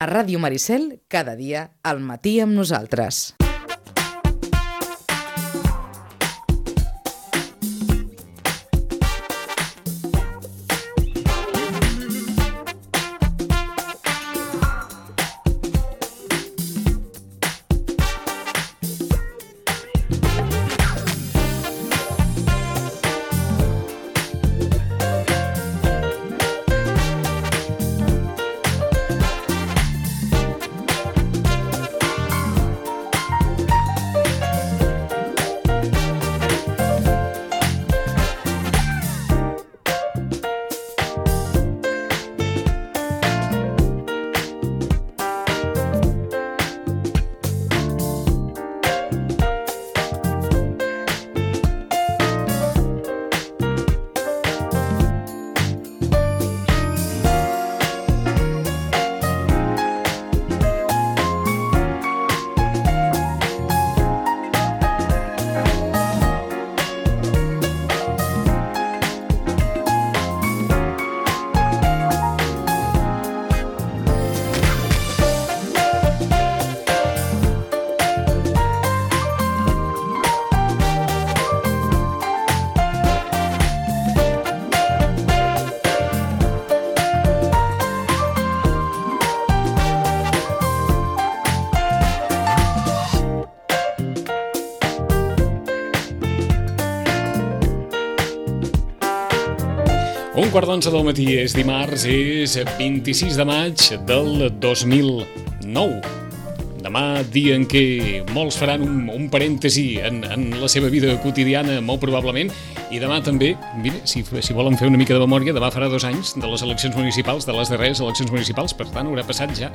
A Ràdio Maricel, cada dia, al matí amb nosaltres. Un quart d'onze del matí, és dimarts, és 26 de maig del 2009. Demà, dia en què molts faran un parèntesi en la seva vida quotidiana, molt probablement, i demà també, mira, si volen fer una mica de memòria, demà farà 2 anys de les eleccions municipals, de les darreres eleccions municipals, per tant haurà passat ja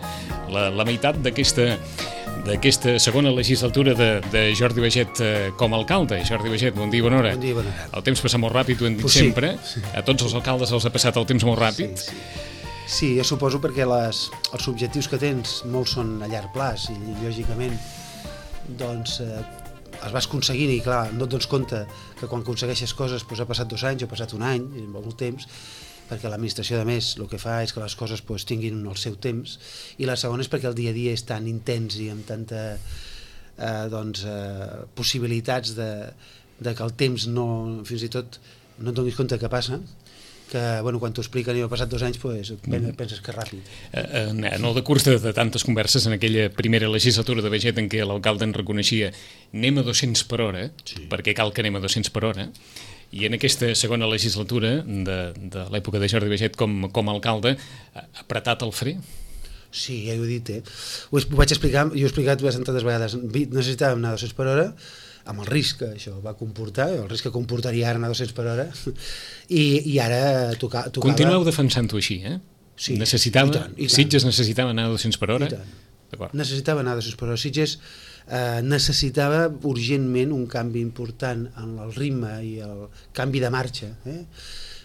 la meitat d'aquesta segona legislatura de Jordi Baiget com a alcalde. Jordi Baiget, bon dia i bona hora. Bon dia i bona hora. El temps passa molt ràpid, ho hem dit sempre. Sí. A tots els alcaldes els ha passat el temps molt ràpid. Sí, jo suposo perquè els objectius que tens molts són a llarg plaç i lògicament doncs els vas aconseguint i clar, no et dones compte que quan aconsegueixes coses doncs, ha passat 2 anys o ha passat 1 any, molt temps, perquè l'administració de més el que fa és que les coses doncs, tinguin el seu temps, i la segona és perquè el dia a dia és tan intens i amb tanta possibilitats de que el temps no, fins i tot no et donis compte que passa, que bueno, quan t'ho expliquen i ha passat 2 anys doncs, penses que és ràpid. En el decurs de tantes converses en aquella primera legislatura de Baiget en què l'alcalde en reconeixia anem a 200 per hora, perquè cal que anem a 200 per hora, i en aquesta segona legislatura de l'època de Jordi Baiget com a alcalde ha apretat el fre? Sí, ja ho he dit, ho vaig explicar, jo he explicat bastantes vegades, necessitàvem anar a 200 per hora, amb el risc que això va comportar, el risc que comportaria ara anar a 200 per hora, i ara tocava... Continueu defensant-ho així, eh? Sí, necessitava, i tant. Sitges necessitava anar a 200 per hora? I tant. Necessitava anar a 200 per hora. Sitges necessitava urgentment un canvi important en el ritme i el canvi de marxa,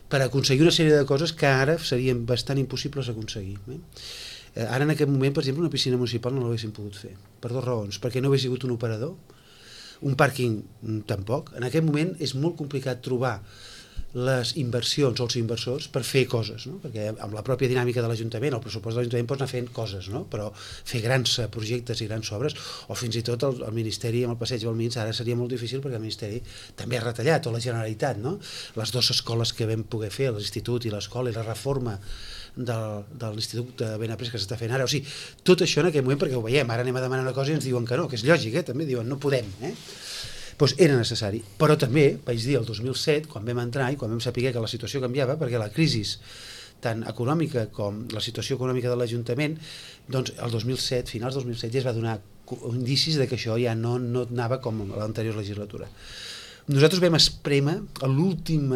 per aconseguir una sèrie de coses que ara serien bastant impossibles d'aconseguir. Ara en aquest moment, per exemple, una piscina municipal no l'haguéssim pogut fer, per 2 raons, perquè no hagués sigut un operador, un pàrquing tampoc. En aquest moment és molt complicat trobar les inversions o els inversors per fer coses, no? Perquè amb la pròpia dinàmica de l'Ajuntament, el pressupost de l'Ajuntament pots anar fent coses, no? Però fer grans projectes i grans obres, o fins i tot el Ministeri amb el Passeig Balmins ara seria molt difícil perquè el Ministeri també ha retallat, o la Generalitat, no? Les 2 escoles que vam poder fer, l'Institut i l'escola, i la reforma de l'Institut de Benaprés que s'està fent ara, o sigui, tot això en aquest moment, perquè ho veiem, ara anem a demanar una cosa i ens diuen que no, que és lògic, també diuen no podem, doncs era necessari, però també vaig dir el 2007, quan vam entrar i quan vam saber que la situació canviava, perquè la crisi tant econòmica com la situació econòmica de l'Ajuntament, doncs el 2007, finals del 2007 ja es va donar indicis de que això ja no anava com a l'anterior legislatura. Nosaltres vam esprémer a l'últim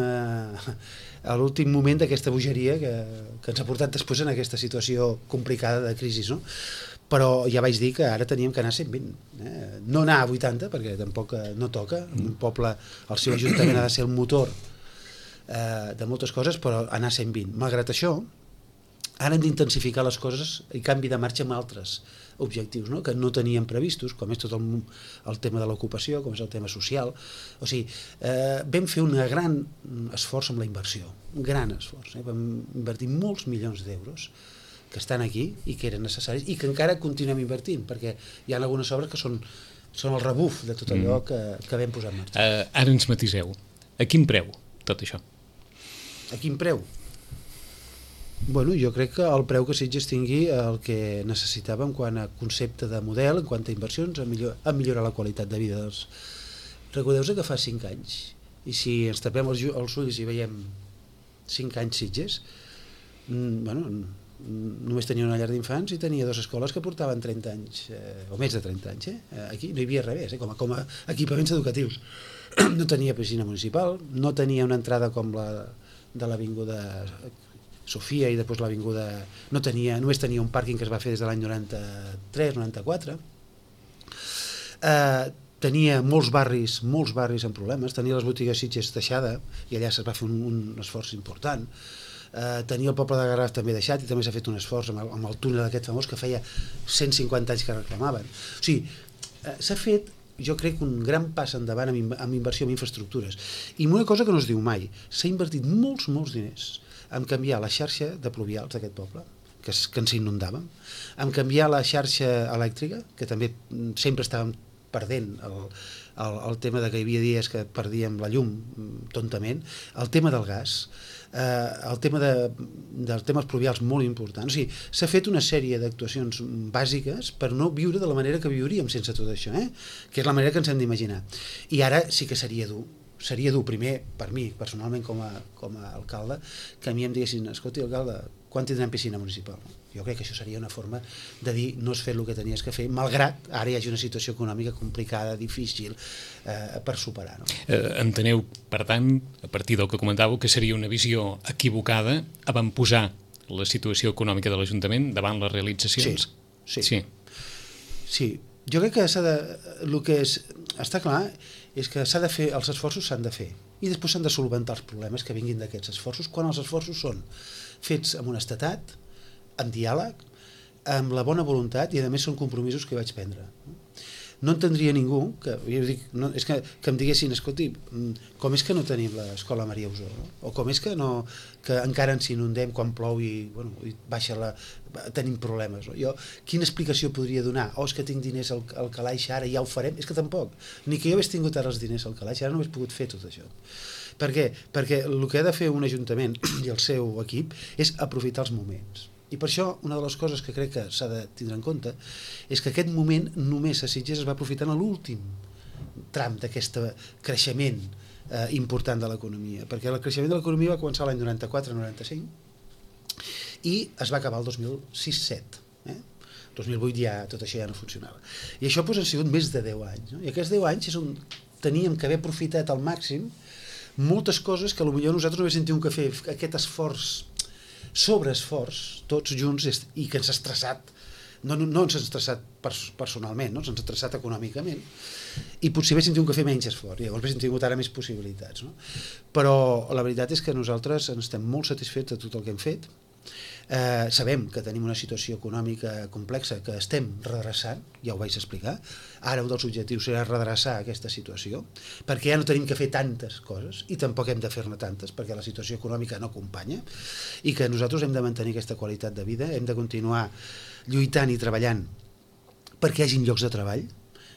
moment d'aquesta bogeria que ens ha portat després en aquesta situació complicada de crisi, no? Però ja vaig dir que ara teníem que anar a 120, no anar a 80 perquè tampoc no toca, un poble, el seu ajuntament ha de ser el motor de moltes coses, però anar a 120. Malgrat això, ara hem d'intensificar les coses i canvi de marxa amb altres objectius, no? Que no teníem previstos, com és tot el tema de l'ocupació, com és el tema social. O sigui, vam fer un gran esforç amb la inversió, un gran esforç. Vam invertir molts milions d'euros que estan aquí i que eren necessaris i que encara continuem invertint, perquè hi ha algunes obres que són el rebuf de tot allò que vam posar en marxa. Ara ens matiseu. A quin preu tot això? A quin preu? Bueno, jo crec que el preu que Sitges tingui el que necessitava en quant a concepte de model, en quant a inversions, a millorar la qualitat de vida dels... Recordeu-vos que fa 5 anys, i si ens tapem els ulls i veiem 5 anys Sitges, bueno, només tenia una llar d'infants i tenia 2 escoles que portaven 30 anys, o més de 30 anys. Aquí no hi havia res, com a equipaments educatius. No tenia piscina municipal, no tenia una entrada com la de l'Avinguda Sofia i després l'Avinguda... Només tenia un pàrquing que es va fer des de l'any 93-94. Tenia molts barris amb problemes, tenia les botigues Sitges deixada i allà es va fer un esforç important. Tenia el poble de Garraf també deixat i també s'ha fet un esforç amb el túnel aquest famós que feia 150 anys que reclamaven. O sigui, s'ha fet, jo crec, un gran pas endavant amb inversió en infraestructures. I una cosa que no es diu mai, s'ha invertit molts diners en canviar la xarxa de pluvials d'aquest poble, que ens inundàvem, en canviar la xarxa elèctrica, que també sempre estàvem perdent el tema de que hi havia dies que perdíem la llum tontament, el tema del gas, el tema dels temes pluvials molt important. O sigui, s'ha fet una sèrie d'actuacions bàsiques per no viure de la manera que viuríem sense tot això, que és la manera que ens hem d'imaginar. I ara sí que seria dur primer, per mi, personalment com a alcalde, que a mi em diguessin, escolti, alcalde, quan tindrem piscina municipal? Jo crec que això seria una forma de dir no has fet el que tenies que fer, malgrat ara hi hagi una situació econòmica complicada, difícil, per superar. No? Enteneu, per tant, a partir del que comentàveu, que seria una visió equivocada avantposar la situació econòmica de l'Ajuntament davant les realitzacions? Sí. Jo crec que el que està clar és que s'ha de fer, els esforços s'han de fer i després s'han de solventar els problemes que vinguin d'aquests esforços, quan els esforços són fets amb honestedat, amb diàleg, amb la bona voluntat i a més són compromisos que vaig prendre. No entendria ningú que em diguessin, escolti, com és que no tenim l'escola Maria Usó? O com és que encara ens inundem quan plou i tenim problemes? Quina explicació podria donar? És que tinc diners al calaix ara i ja ho farem? És que tampoc. Ni que jo hagués tingut ara els diners al calaix, ara no hagués pogut fer tot això. Per què? Perquè el que ha de fer un ajuntament i el seu equip és aprofitar els moments. I per això una de les coses que crec que s'ha de tindre en compte és que aquest moment només a Sitges es va aprofitar en l'últim tram d'aquest creixement important de l'economia, perquè el creixement de l'economia va començar l'any 94-95 i es va acabar el 2006-07. 2008 ja tot això ja no funcionava. I això han sigut més de 10 anys. I aquests 10 anys és on teníem que haver aprofitat al màxim moltes coses que potser nosaltres no haguéssim tingut que fer aquest esforç sobreesforç, tots junts, i que ens ha estressat, no ens ha estressat personalment, ens ha estressat econòmicament, i potser haguéssim tingut que fer menys esforç, llavors haguéssim tingut ara més possibilitats. Però la veritat és que nosaltres estem molt satisfets de tot el que hem fet. Sabem que tenim una situació econòmica complexa que estem redreçant, ja ho vaig explicar. Ara un dels objectius serà redreçar aquesta situació, perquè ja no tenim que fer tantes coses i tampoc hem de fer-ne tantes perquè la situació econòmica no acompanya, i que nosaltres hem de mantenir aquesta qualitat de vida, hem de continuar lluitant i treballant perquè hi hagi llocs de treball,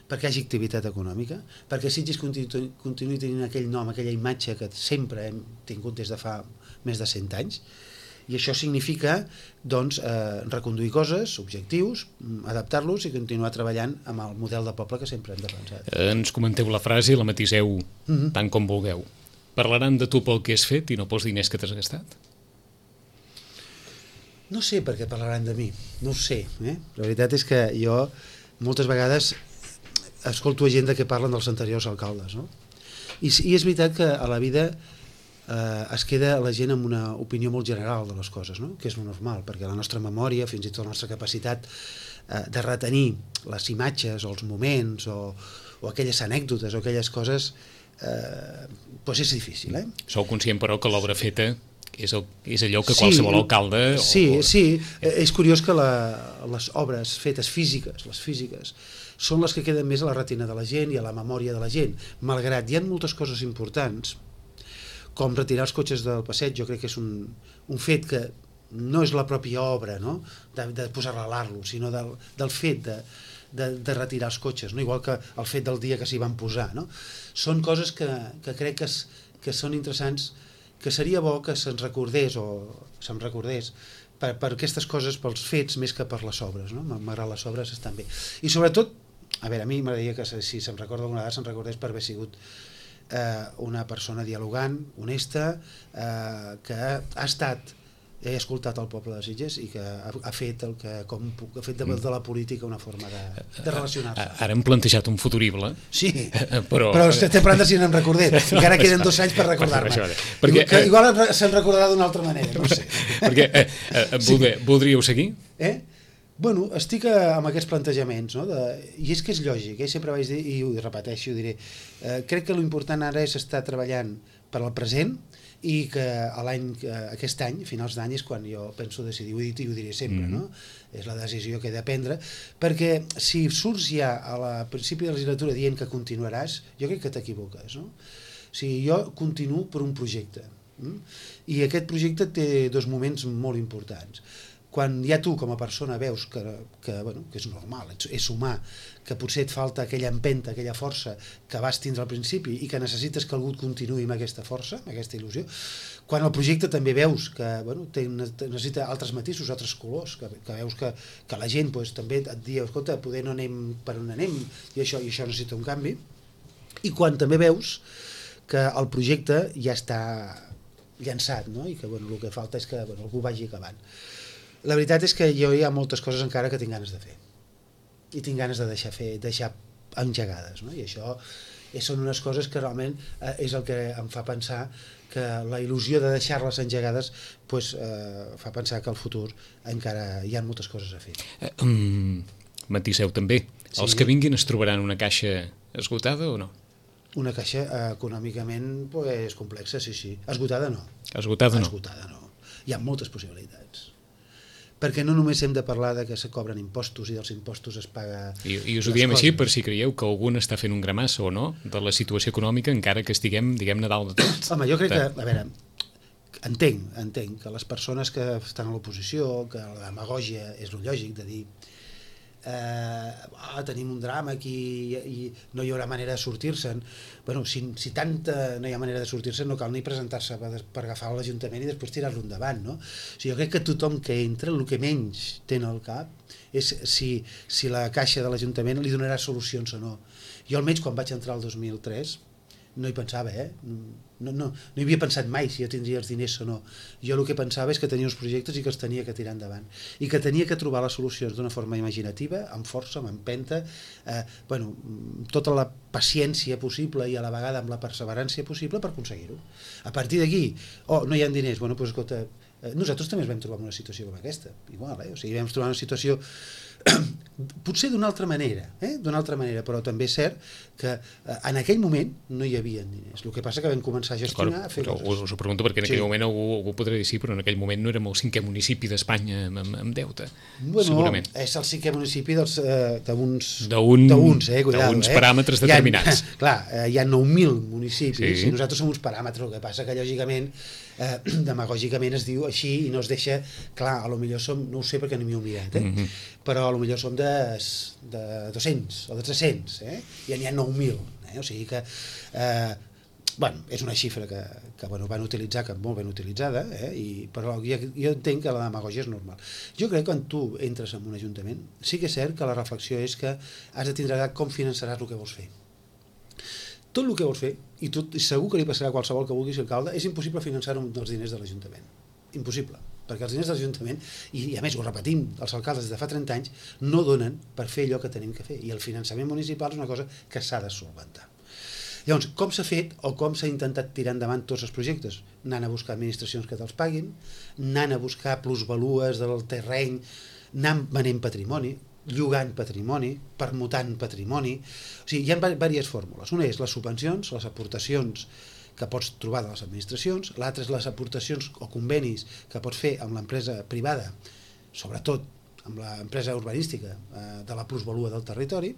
perquè hi hagi activitat econòmica, perquè Sitges continuï tenint aquell nom, aquella imatge que sempre hem tingut des de fa més de 100 anys. I això significa reconduir coses, objectius, adaptar-los i continuar treballant amb el model de poble que sempre hem defensat. Ens comenteu la frase i la matiseu tant com vulgueu. Parlaran de tu pel que has fet i no pels diners que t'has gastat? No sé per què parlaran de mi, no ho sé. La veritat és que jo moltes vegades escolto gent que parlen dels anteriors alcaldes. I és veritat que a la vida es queda la gent amb una opinió molt general de les coses, que és normal, perquè la nostra memòria, fins i tot la nostra capacitat de retenir les imatges o els moments o aquelles anècdotes o aquelles coses és difícil. Sou conscient, però, que l'obra feta és allò que qualsevol alcalde... Sí, és curiós que les obres fetes físiques, les físiques, són les que queden més a la retina de la gent i a la memòria de la gent, malgrat hi ha moltes coses importants, com retirar els cotxes del passeig. Jo crec que és un fet que no és la pròpia obra, no? de posar-la a l'Arlo, sinó del fet de retirar els cotxes, no? Igual que el fet del dia que s'hi van posar, no? Són coses que crec que són interessants, que seria bo que se'ns recordés per aquestes coses, pels fets més que per les obres, no? Malgrat les obres estan bé. I sobretot, a mi m'agradaria que si se'm recorda alguna vegada se'm recordés per haver sigut una persona dialogant, honesta, que ha he escoltat el poble de Sitges i que ha fet ha fet de la política una forma de relacionar-se. Ara hem plantejat un futurible. Sí, però estem parlant de si n'em recordés. Encara queden 2 anys per recordar-me. Igual se'n recordarà d'una altra manera, no sé. Perquè voldríeu seguir? Bueno, estic amb aquests plantejaments, no? I és que és lògic, sempre vaig dir, i ho repeteixo, ho diré, crec que l'important ara és estar treballant per al present i que aquest any, finals d'any, és quan jo penso decidir, ho he dit i ho diré sempre, no? És la decisió que he de prendre, perquè si surts ja al principi de la legislatura dient que continuaràs, jo crec que t'equivoques, no? O sigui, jo continuo per un projecte, i aquest projecte té 2 moments molt importants. Quan ja tu com a persona veus que és normal, és humà, que potser et falta aquella empenta, aquella força que vas tindre al principi i que necessites que algú et continuï amb aquesta força, amb aquesta il·lusió, quan el projecte també veus que necessita altres matisos, altres colors, que veus que la gent també et diu, escolta, poder no anem per on anem i això necessita un canvi, i quan també veus que el projecte ja està llançat, no? I que el que falta és que algú vagi acabant. La veritat és que jo hi ha moltes coses encara que tinc ganes de fer i tinc ganes de deixar engegades, no? I això són unes coses que realment és el que em fa pensar que la il·lusió de deixar-les engegades fa pensar que al futur encara hi ha moltes coses a fer. Matiseu també, els que vinguin es trobaran una caixa esgotada o no? Una caixa econòmicament complexa, sí. Esgotada no. Esgotada no. Hi ha moltes possibilitats. Perquè no només hem de parlar de que se cobren impostos i dels impostos es paga... I us ho diem així per si creieu que algun està fent un gramassa o no de la situació econòmica encara que estiguem, diguem-ne, dalt de tot. Home, jo crec que, a veure, entenc que les persones que estan a l'oposició, que la demagògia és lo lògic de dir tenim un drama aquí i no hi haurà manera de sortir-se'n. Bueno, si tanta no hi ha manera de sortir-se'n, no cal ni presentar-se per agafar l'Ajuntament i després tirar-lo endavant, no? O sigui, jo crec que tothom que entra, el que menys té al cap és si la caixa de l'Ajuntament li donarà solucions o no. Jo almenys quan vaig entrar el 2003 no hi pensava, no hi havia pensat mai si jo tindria els diners o no. Jo el que pensava és que tenia uns projectes i que els tenia que tirar endavant i que tenia que trobar les solucions d'una forma imaginativa, amb força, amb empenta, tota la paciència possible i a la vegada amb la perseverància possible per aconseguir-ho. A partir d'aquí, no hi ha diners, escolta, nosaltres també ens vam trobar en una situació com aquesta, igual, o sigui, vam trobar una situació potser d'una altra manera, però també és cert que en aquell moment no hi havia diners. El que passa que vam començar a gestionar, a fer coses. Us ho pregunto perquè en aquell moment algú podrà dir sí, però en aquell moment no érem el 5è municipi d'Espanya amb deute, segurament. És el 5è municipi d'uns paràmetres determinats. Clar, hi ha 9.000 municipis i nosaltres som uns paràmetres, el que passa que lògicament demagògicament es diu així i no es deixa, clar, a lo millor som, no ho sé perquè no m'hi he mirat, però a lo millor som de 200 o de 300, i n'hi ha 9.000, o sigui que és una xifra que van utilitzar, que molt ben utilitzada, però jo entenc que la demagògia és normal. Jo crec que quan tu entres en un ajuntament sí que és cert que la reflexió és que has de tindre com finançaràs el que vols fer. Tot el que vols fer, i segur que li passarà a qualsevol que vulgui ser alcalde, és impossible finançar-ho amb els diners de l'Ajuntament. Impossible, perquè els diners de l'Ajuntament, i a més ho repetim, els alcaldes des de fa 30 anys, no donen per fer allò que tenim que fer, i el finançament municipal és una cosa que s'ha de solventar. Llavors, com s'ha fet o com s'ha intentat tirar endavant tots els projectes? Anant a buscar administracions que te'ls paguin, anant a buscar plusvalues del terreny, anant venent patrimoni, llogant patrimoni, permutant patrimoni. O sigui, hi ha diverses fórmules. Una és les subvencions, les aportacions que pots trobar de les administracions, l'altra és les aportacions o convenis que pots fer amb l'empresa privada, sobretot amb l'empresa urbanística de la plusvalua del territori.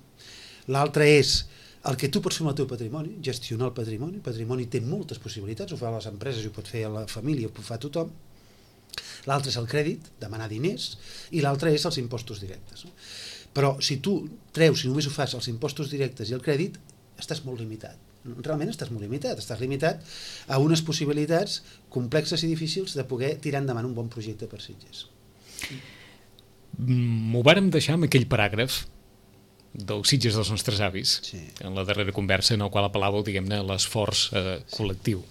L'altra és el que tu pots fer amb el teu patrimoni, gestionar el patrimoni. El patrimoni té moltes possibilitats, ho fa les empreses, ho pot fer la família, ho pot fer tothom. l'altre és el crèdit, demanar diners, i l'altre és els impostos directes. No? Però si tu treus, si només ho fas els impostos directes i el crèdit, estàs molt limitat. Realment estàs molt limitat, estàs limitat a unes possibilitats complexes i difícils de poder tirar endavant un bon projecte per Sitges. M'ho vàrem deixar amb aquell paràgraf dels Sitges dels nostres avis, Sí. en la darrera conversa en el qual apel·làveu, diguem-ne, a l'esforç col·lectiu.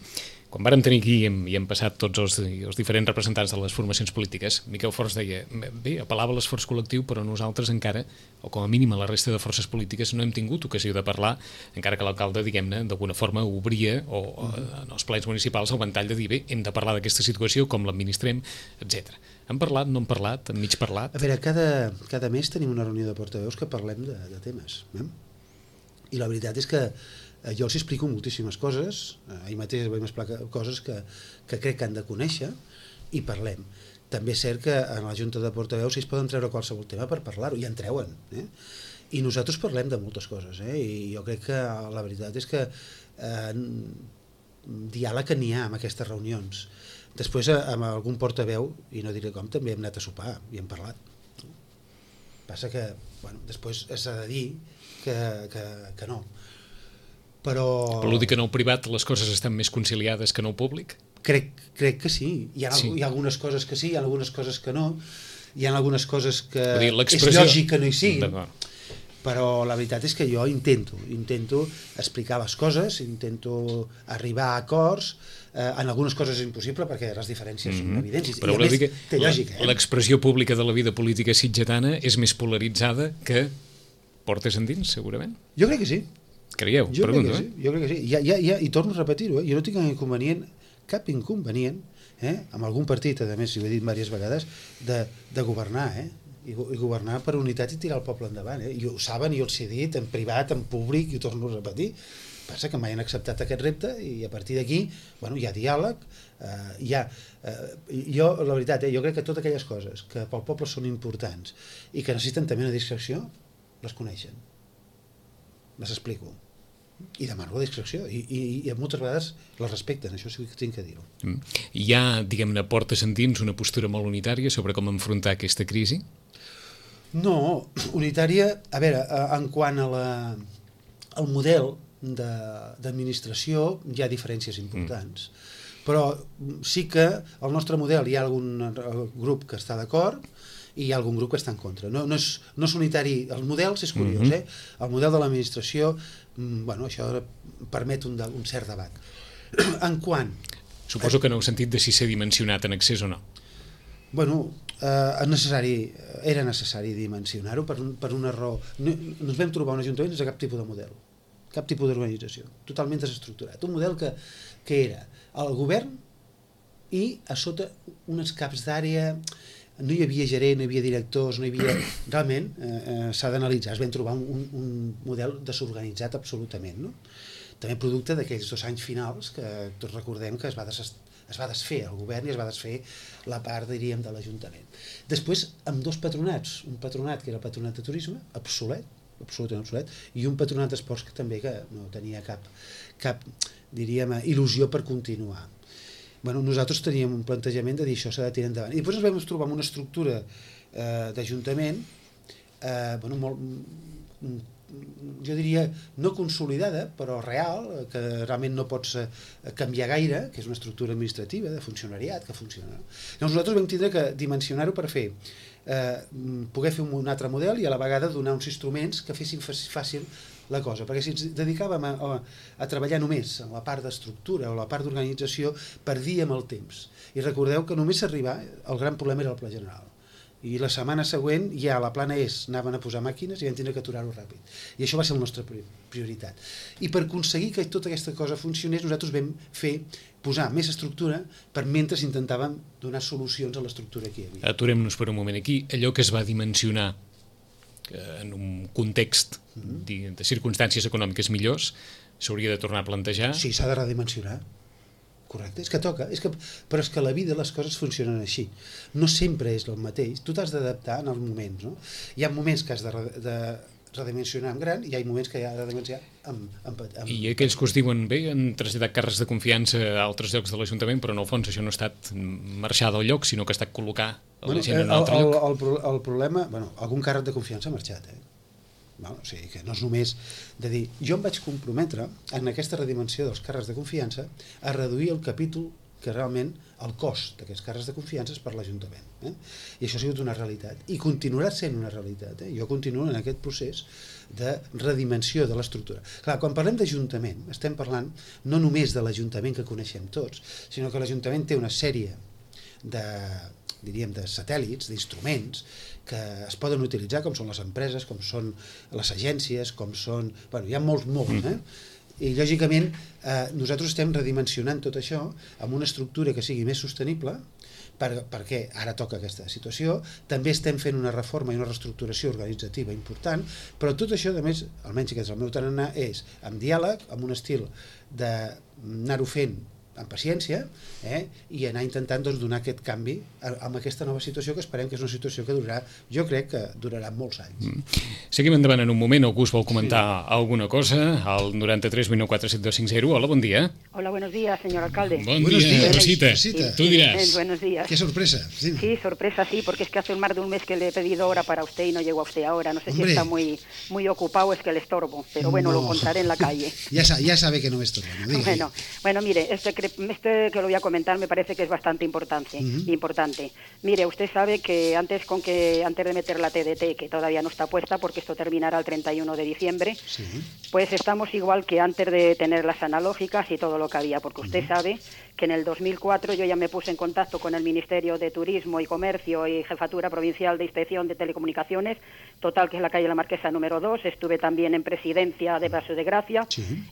Quan vàrem tenir aquí i hem passat tots els diferents representants de les formacions polítiques, Miquel Forns deia, bé, apel·lava a l'esforç col·lectiu, però nosaltres encara, o com a mínim a la resta de forces polítiques, no hem tingut ocasió de parlar, encara que l'alcalde, diguem-ne, d'alguna forma obria en els plens municipals el ventall de dir, bé, hem de parlar d'aquesta situació, com l'administrem, etc. Han parlat, no han parlat, han mig parlat? A veure, cada mes tenim una reunió de portaveus que parlem de temes. I la veritat és que jo els explico moltíssimes coses, ahir mateix vam explicar coses que crec que han de conèixer i parlem. També és cert que en la Junta de Portaveus ells poden treure qualsevol tema per parlar-ho, i en treuen. I nosaltres parlem de moltes coses, i jo crec que la veritat és que diàleg n'hi ha en aquestes reunions. Després, amb algun portaveu, i no diré com, també hem anat a sopar i hem parlat. Passa que, bueno, després s'ha de dir que no. Però dir que en el privat les coses estan més conciliades que en el públic? Crec que sí. Hi ha algunes coses que sí, hi ha algunes coses que no, hi ha algunes coses que és lògic que no hi siguin, però la veritat és que jo intento explicar les coses, intento arribar a acords, en algunes coses és impossible perquè les diferències són evidents, i a més té lògica. L'expressió pública de la vida política sitgetana és més polaritzada que portes endins, segurament? Jo crec que sí. Creieu? Jo crec que sí. I torno a repetir-ho, jo no tinc cap inconvenient, amb algun partit, a més, ho he dit diverses vegades, de governar, i governar per unitat i tirar el poble endavant. I ho saben, i jo els he dit, en privat, en públic, i ho torno a repetir. Passa que mai han acceptat aquest repte, i a partir d'aquí, bueno, hi ha diàleg, jo, la veritat, jo crec que totes aquelles coses que pel poble són importants i que necessiten també una discreció, les coneixen. Les explico. I demano la discreció, i moltes vegades la respecten, això sí que tinc que dir-ho. Hi ha, diguem-ne, portes endins una postura molt unitària sobre com enfrontar aquesta crisi? No, unitària, a veure, en quant al model d'administració hi ha diferències importants, però sí que al nostre model hi ha algun grup que està d'acord i hi ha algun grup que està en contra. No és unitari, els models és curiós, el model de l'administració, bueno, això permet un cert debat. En quant... Suposo que no heu sentit de si s'ha dimensionat en excés o no. Bueno, era necessari dimensionar-ho per una raó. No ens vam trobar un ajuntament sense cap tipus de model, cap tipus d'organització, totalment desestructurat. Un model que era el govern i a sota uns caps d'àrea, no hi havia gerent, no hi havia directors, no hi havia... Realment s'ha d'analitzar, es vam trobar un model desorganitzat absolutament, no? També producte d'aquells 2 anys finals que tots recordem que es va desfer el govern i es va desfer la part, diríem, de l'Ajuntament. Després, amb 2 patronats, un patronat que era el patronat de turisme, absolutament obsolet, i un patronat d'esports que també que no tenia cap diríem, il·lusió per continuar. Bueno, nosaltres teníem un plantejament de dir això s'ha de tirar endavant. I després ens vam trobar amb una estructura d'Ajuntament jo diria no consolidada, però real, que realment no pots canviar gaire, que és una estructura administrativa, de funcionariat, que funciona. Llavors nosaltres vam tindre que dimensionar-ho per poder fer un altre model i a la vegada donar uns instruments que fessin fàcil la cosa, perquè si ens dedicàvem a treballar només en la part d'estructura o la part d'organització, perdíem el temps. I recordeu que només arribar, el gran problema era el pla general. I la setmana següent ja la plana anaven a posar màquines i vam tindre que aturar-ho ràpid. I això va ser la nostra prioritat. I per aconseguir que tota aquesta cosa funcionés, nosaltres vam posar més estructura mentre intentàvem donar solucions a l'estructura que hi havia. Aturem-nos per un moment aquí. Allò que es va dimensionar en un context de circumstàncies econòmiques millors s'hauria de tornar a plantejar? Sí, s'ha de redimensionar. Correcte, és que toca, però és que la vida les coses funcionen així. No sempre és el mateix, tu t'has d'adaptar en els moments, no? Hi ha moments que has de redimensionar en gran i hi ha moments que hi ha de redimensionar amb... I aquells que us diuen bé han traslladat càrrecs de confiança a altres llocs de l'Ajuntament, però en el fons això no ha estat marxar del lloc, sinó que ha estat col·locar la gent en un altre lloc. El problema, algun càrrec de confiança ha marxat, o sigui que no és només de dir, jo em vaig comprometre en aquesta redimensió dels càrrecs de confiança a reduir el capítol que realment el cost d'aquests càrrecs de confiança és per l'Ajuntament. I això ha sigut una realitat. I continuarà sent una realitat. Jo continuo en aquest procés de redimensió de l'estructura. Clar, quan parlem d'Ajuntament, estem parlant no només de l'Ajuntament que coneixem tots, sinó que l'Ajuntament té una sèrie de satèl·lits, d'instruments que es poden utilitzar, com són les empreses, com són les agències, com són... Hi ha molts, I, lògicament, nosaltres estem redimensionant tot això amb una estructura que sigui més sostenible, perquè ara toca aquesta situació. També estem fent una reforma i una reestructuració organitzativa important, però tot això, a més, almenys que és el meu tarannà, és amb diàleg, amb un estil d'anar-ho fent amb paciència, i anar intentant donar aquest canvi amb aquesta nova situació, que esperem que és una situació que durarà, jo crec que durarà molts anys. Seguim endavant en un moment. Algú us vol comentar alguna cosa? Al 93 19 7250. Hola, bon dia. Hola, buenos días, señor alcalde. Buenos días, Rosita. Tú dirás. Buenos días. Qué sorpresa. Sí, sorpresa, sí, porque es que hace más de un mes que le he pedido hora para usted y no llegó a usted ahora. No sé si está muy ocupado, es que le estorbo, pero bueno, lo encontraré en la calle. Ya sabe que no me estorbo. Bueno, mire, este que lo voy a comentar me parece que es bastante importante. Mire, usted sabe que antes de meter la TDT, que todavía no está puesta porque esto terminará el 31 de diciembre, pues estamos igual que antes de tener las analógicas y todo lo que había, porque usted sabe que en el 2004 yo ya me puse en contacto con el Ministerio de Turismo y Comercio y Jefatura Provincial de Inspección de Telecomunicaciones, total, que es la calle La Marquesa número 2, estuve también en Presidencia de Paso de Gracia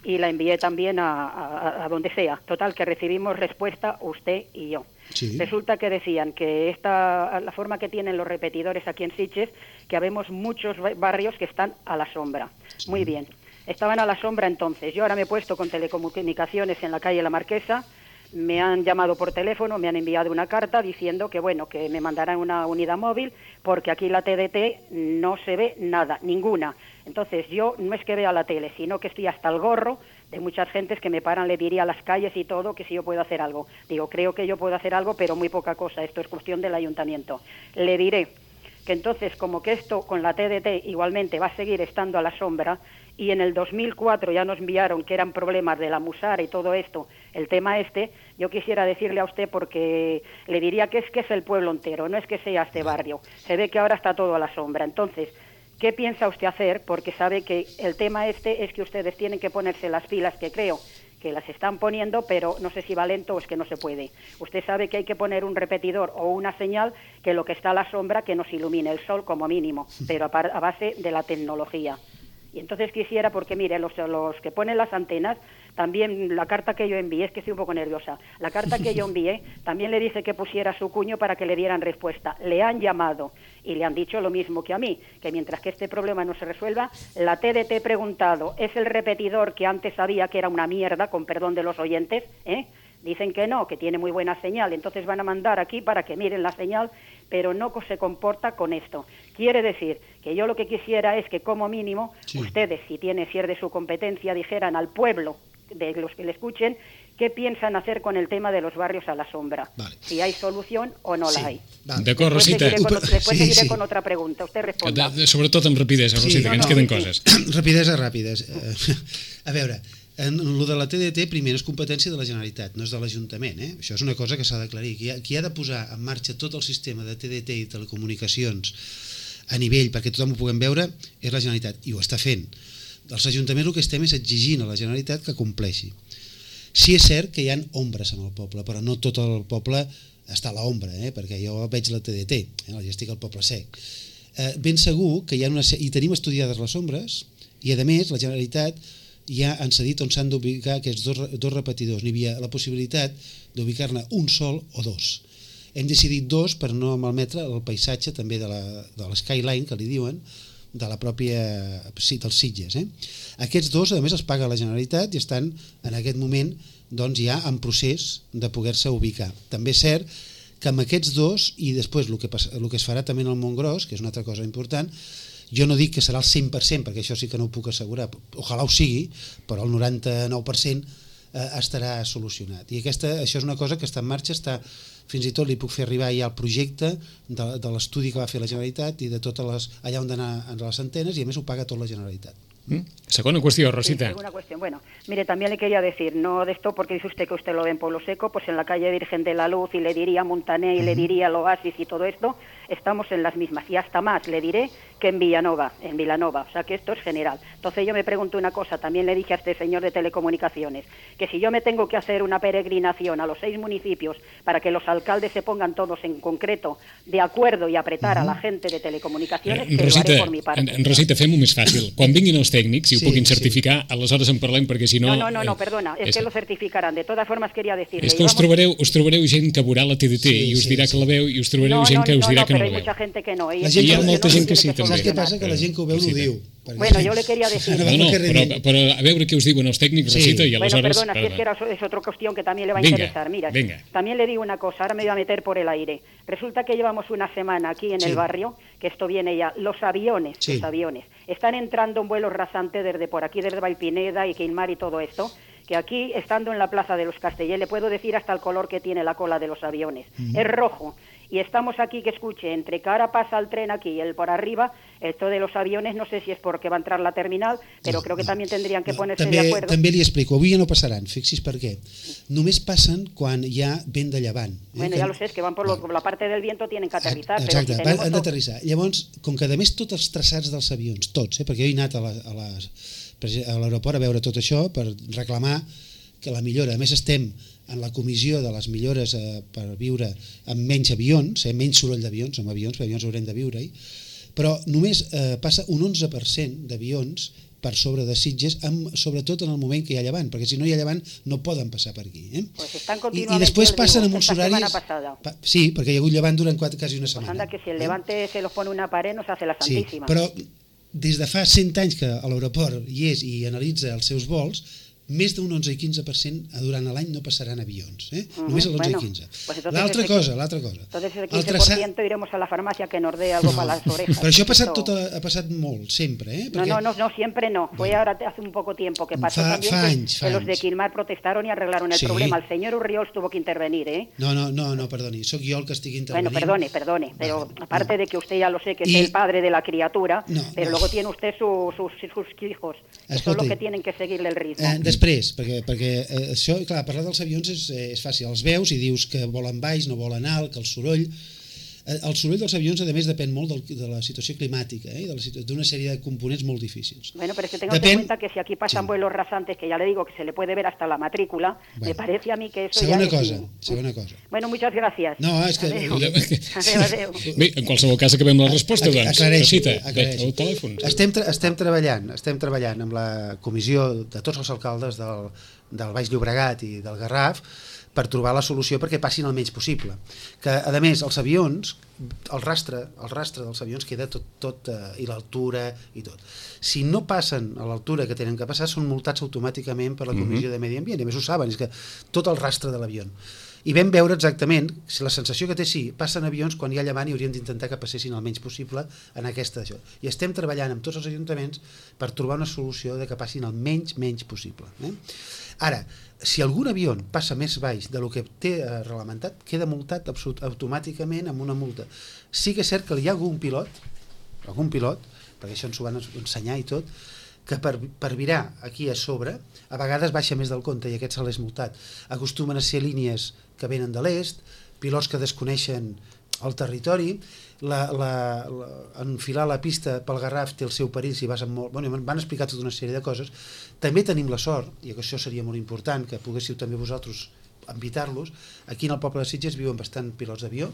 y la envié también a donde sea, total, que recibimos respuesta usted y yo. Resulta que decían que la forma que tienen los repetidores aquí en Sitges, que habemos muchos barrios que están a la sombra. Muy bien, estaban a la sombra entonces. Yo ahora me he puesto con telecomunicaciones en la calle La Marquesa, me han llamado por teléfono, me han enviado una carta diciendo que bueno, que me mandarán una unidad móvil porque aquí la TDT no se ve nada, ninguna. Entonces yo no es que vea la tele, sino que estoy hasta el gorro de muchas gentes que me paran, le diría a las calles y todo que si yo puedo hacer algo. Digo, creo que yo puedo hacer algo, pero muy poca cosa, esto es cuestión del ayuntamiento. Le diré que entonces, como que esto con la TDT igualmente va a seguir estando a la sombra, y en el 2004 ya nos enviaron que eran problemas de la Musara y todo esto, el tema yo quisiera decirle a usted, porque le diría que es el pueblo entero, no es que sea este barrio, se ve que ahora está todo a la sombra. Entonces, ¿qué piensa usted hacer? Porque sabe que el tema es que ustedes tienen que ponerse las pilas, que creo que las están poniendo, pero no sé si va lento o es que no se puede. Usted sabe que hay que poner un repetidor o una señal que lo que está a la sombra que nos ilumine el sol como mínimo, pero a base de la tecnología. Y entonces quisiera, porque mire, los que ponen las antenas, también la carta que yo envié, es que estoy un poco nerviosa, la carta que yo envié también le dice que pusiera su cuño para que le dieran respuesta. Le han llamado y le han dicho lo mismo que a mí, que mientras que este problema no se resuelva, la TDT preguntado, ¿es el repetidor que antes sabía que era una mierda, con perdón de los oyentes? Dicen que no, que tiene muy buena señal, entonces van a mandar aquí para que miren la señal, pero no se comporta con esto. Quiere decir que yo lo que quisiera es que como mínimo ustedes, si es de su competencia, dijeran al pueblo, de los que le escuchen, qué piensan hacer con el tema de los barrios a la sombra. Vale. Si hay solución o no la hay. Vale. D'acord, Rosita. Después seguiré con otra pregunta. Usted responda. Sobretot amb rapidesa, Rosita, que ens queden coses. Rapidesa, ràpides. A veure, lo de la TDT, primer, és competència de la Generalitat, no és de l'Ajuntament. Això és una cosa que s'ha d'aclarir. Qui ha de posar en marxa tot el sistema de TDT i telecomunicacions a nivell, perquè tothom ho puguem veure, és la Generalitat, i ho està fent. Els ajuntaments el que estem és exigint a la Generalitat que compleixi. Sí és cert que hi ha ombres en el poble, però no tot el poble està a l'ombra, perquè jo veig la TDT, ja estic al poble sec. Ben segur que hi ha i tenim estudiades les ombres, i a més la Generalitat ja han cedit on s'han d'ubicar aquests dos repetidors. N'hi havia la possibilitat d'ubicar-ne un sol o dos. Hem decidit dos per no malmetre el paisatge també de l'skyline, que li diuen, de la pròpia dels Sitges. Aquests dos, a més, els paga la Generalitat i estan en aquest moment ja en procés de poder-se ubicar. També és cert que amb aquests dos, i després el que es farà també en el Montgròs, que és una altra cosa important, Jo no dic que serà el 100%, perquè això sí que no ho puc assegurar, ojalà ho sigui, però el 99% estarà solucionat. I això és una cosa que està en marxa, fins i tot li puc fer arribar ja el projecte de l'estudi que va fer la Generalitat i de totes allà on d'anar a les antenes, i a més ho paga tot la Generalitat. Segunda cuestión, Rosita. Sí, segunda cuestión. Bueno, mire, también le quería decir, no de esto porque dice usted que usted lo ve en Pueblo Seco, pues en la calle Virgen de la Luz, y le diría Montané, y le diría el Oasis y todo esto, estamos en las mismas, y hasta más le diré que en Vilanova, o sea que esto es general. Entonces yo me pregunto una cosa, también le dije a este señor de telecomunicaciones, que si yo me tengo que hacer una peregrinación a los 6 municipios para que los alcaldes se pongan todos en concreto de acuerdo y apretar a la gente de telecomunicaciones, que Rosita, lo haré por mi parte. Rosita, fem-ho més fàcil. Quan vinguin els tècnics, si ho puguin certificar, aleshores en parlem, perquè si no... No, perdona, es que lo certificarán. De todas formas quería decirle... És que us trobareu gent que veurà la TDT i us dirà que la veu, i us trobareu gent que us dirà que no la veu. Pero hay mucha gente que no. Hi ha molta gent que sí, també. Saps què passa? Que la gent que ho veu no ho diu. Bueno, yo le quería decir... Però a veure què us diuen els tècnics, Rosita, y aleshores... Bueno, perdona, si es que es otra cuestión que también le va a interesar. Mira, también le digo una cosa, ahora me voy a meter por el aire. Resulta que llevamos una semana aquí en el barrio, que esto viene ya, los aviones, están entrando en vuelos rasantes desde por aquí, desde Valpineda y Quilmar y todo esto, que aquí, estando en la Plaza de los Castellers, le puedo decir hasta el color que tiene la cola de los aviones. Es rojo. Y estamos aquí, que escuche, entre que ahora pasa el tren aquí y el por arriba, esto de los aviones, no sé si és perquè va entrar la terminal, però creo que també tendrían que ponerse de acuerdo. També li explico, avui ja no passaran, fixi's per què. Només passen quan hi ha vent de llevant. Bueno, ja lo sé, es que van por la parte del viento, tienen que aterrizar. Exacte, han d'aterrissar. Llavors, com que a més tots els traçats dels avions, tots, perquè jo he anat a l'aeroport a veure tot això per reclamar que la millora, a més estem en la comissió de les millores per viure amb menys avions, menys soroll d'avions, amb avions, perquè avions haurem de viure-hi, però només passa un 11% d'avions per sobre de Sitges, sobretot en el moment que hi ha llevant, perquè si no hi ha llevant no poden passar per aquí. I després passen amb uns horaris... Sí, perquè hi ha hagut llevant durant quasi una setmana. Pues anda, que si el levante se los pone una pared no se hace la santíssima. Sí, però des de fa 100 anys que a l'aeroport hi és i analitza els seus vols, més d'un 11 i 15% durant l'any no passaran avions, només l'11 i 15. L'altra cosa. Entonces el 15% iremos a la farmacia que nos dé algo para las orejas. Però això ha passat molt, sempre. No, siempre no. Fue ahora hace un poco tiempo que pasó también que los de Quilmar protestaron y arreglaron el problema. El señor Urriols tuvo que intervenir, No, perdoni, soc jo el que estic intervenint. Bueno, perdone, pero aparte de que usted ya lo sé, que es el padre de la criatura, pero luego tiene usted sus hijos, que son los que tienen que seguirle el ritmo. Després, perquè això, clar, parlar dels avions és fàcil, els veus i dius que volen baix, no volen alt, que el soroll dels avions, a més, depèn molt de la situació climàtica i d'una sèrie de components molt difícils. Bueno, pero es que tengo en cuenta que si aquí pasan vuelos rasantes, que ya le digo que se le puede ver hasta la matrícula, me parece a mí que eso segona cosa. Bueno, muchas gracias. No, és que... Adéu. Bé, en qualsevol cas acabem la resposta, doncs. Aclareixi. Estem treballant amb la comissió de tots els alcaldes del Baix Llobregat i del Garraf per trobar la solució perquè passin el menys possible. Que, a més, els avions, el rastre dels avions queda tot i l'altura i tot. Si no passen a l'altura que tenen que passar, són multats automàticament per la Comissió de Medi Ambient, i a més ho saben, és que tot el rastre de l'avió. I vam veure exactament, si la sensació que té passen avions quan hi ha llevant i haurien d'intentar que passessin el menys possible en aquesta això. I estem treballant amb tots els ajuntaments per trobar una solució de que passin el menys possible. Ara, si algun avió passa més baix del que té reglamentat, queda multat automàticament amb una multa. Sí que és cert que hi ha algun pilot, perquè això ens ho van ensenyar i tot, que per virar aquí a sobre, a vegades baixa més del compte i aquest se l'és multat. Acostumen a ser línies que venen de l'est, pilots que desconeixen el territori, enfilar la pista pel Garraf té el seu perill si vas amb molt... Bueno, van explicar tota una sèrie de coses. També tenim la sort, i això seria molt important, que poguéssiu també vosaltres invitar-los, aquí en el poble de Sitges viuen bastant pilots d'avió,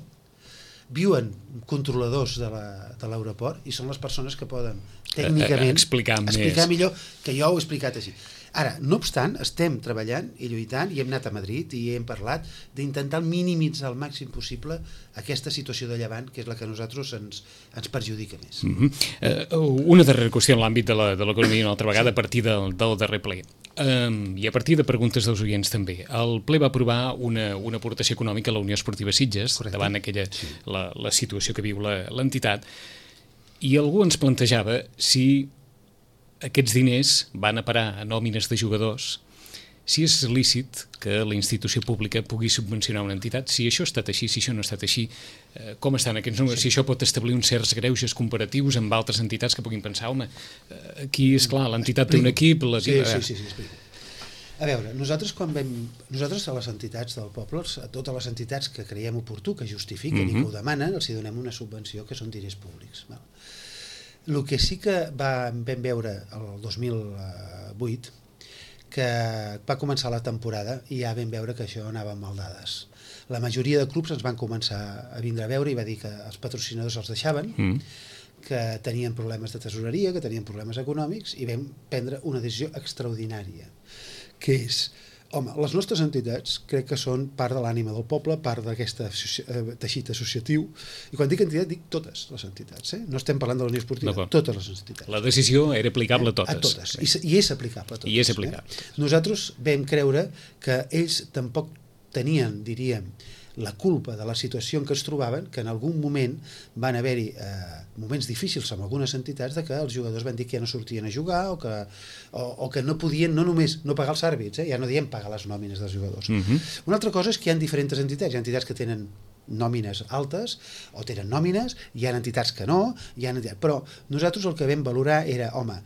viuen controladors de l'aeroport i són les persones que poden tècnicament explicar millor que jo ho he explicat així. Ara, no obstant, estem treballant i lluitant i hem anat a Madrid i hem parlat d'intentar minimitzar al màxim possible aquesta situació de llevant, que és la que a nosaltres ens perjudica més. Una darrera qüestió en l'àmbit de l'economia, una altra vegada a partir del darrer ple. I a partir de preguntes dels oients també. El ple va aprovar una aportació econòmica a la Unió Esportiva Sitges, davant la situació que viu l'entitat, I algú ens plantejava si aquests diners van a parar a nòmines de jugadors, si és lícit que la institució pública pugui subvencionar una entitat, si això ha estat així, si això no ha estat així, com estan aquests números, si això pot establir uns certs greuges comparatius amb altres entitats que puguin pensar, home, aquí, esclar, l'entitat té un equip... Sí, explico. A veure, nosaltres a les entitats del poble, a totes les entitats que creiem oportú, que justifiquen i que ho demanen, els hi donem una subvenció que són diners públics. El que sí que vam veure el 2008, que va començar la temporada i ja vam veure que això anava amb maldades. La majoria de clubs ens van començar a vindre a veure i va dir que els patrocinadors els deixaven, que tenien problemes de tesoreria, que tenien problemes econòmics, i vam prendre una decisió extraordinària, que és, home, les nostres entitats crec que són part de l'ànima del poble, part d'aquest teixit associatiu, i quan dic entitat dic totes les entitats, no estem parlant de la Unió Esportiva, totes les entitats. La decisió era aplicable a totes. A totes, i és aplicable a totes. I és aplicable. Nosaltres vam creure que ells tampoc tenien, diríem, la culpa de la situació en què es trobaven, que en algun moment van haver-hi moments difícils amb algunes entitats de que els jugadors van dir que ja no sortien a jugar o que no podien no només no pagar els àrbits, ja no diem pagar les nòmines dels jugadors. Una altra cosa és que hi ha diferents entitats, hi ha entitats que tenen nòmines altes o tenen nòmines, hi ha entitats que no, però nosaltres el que vam valorar era, home,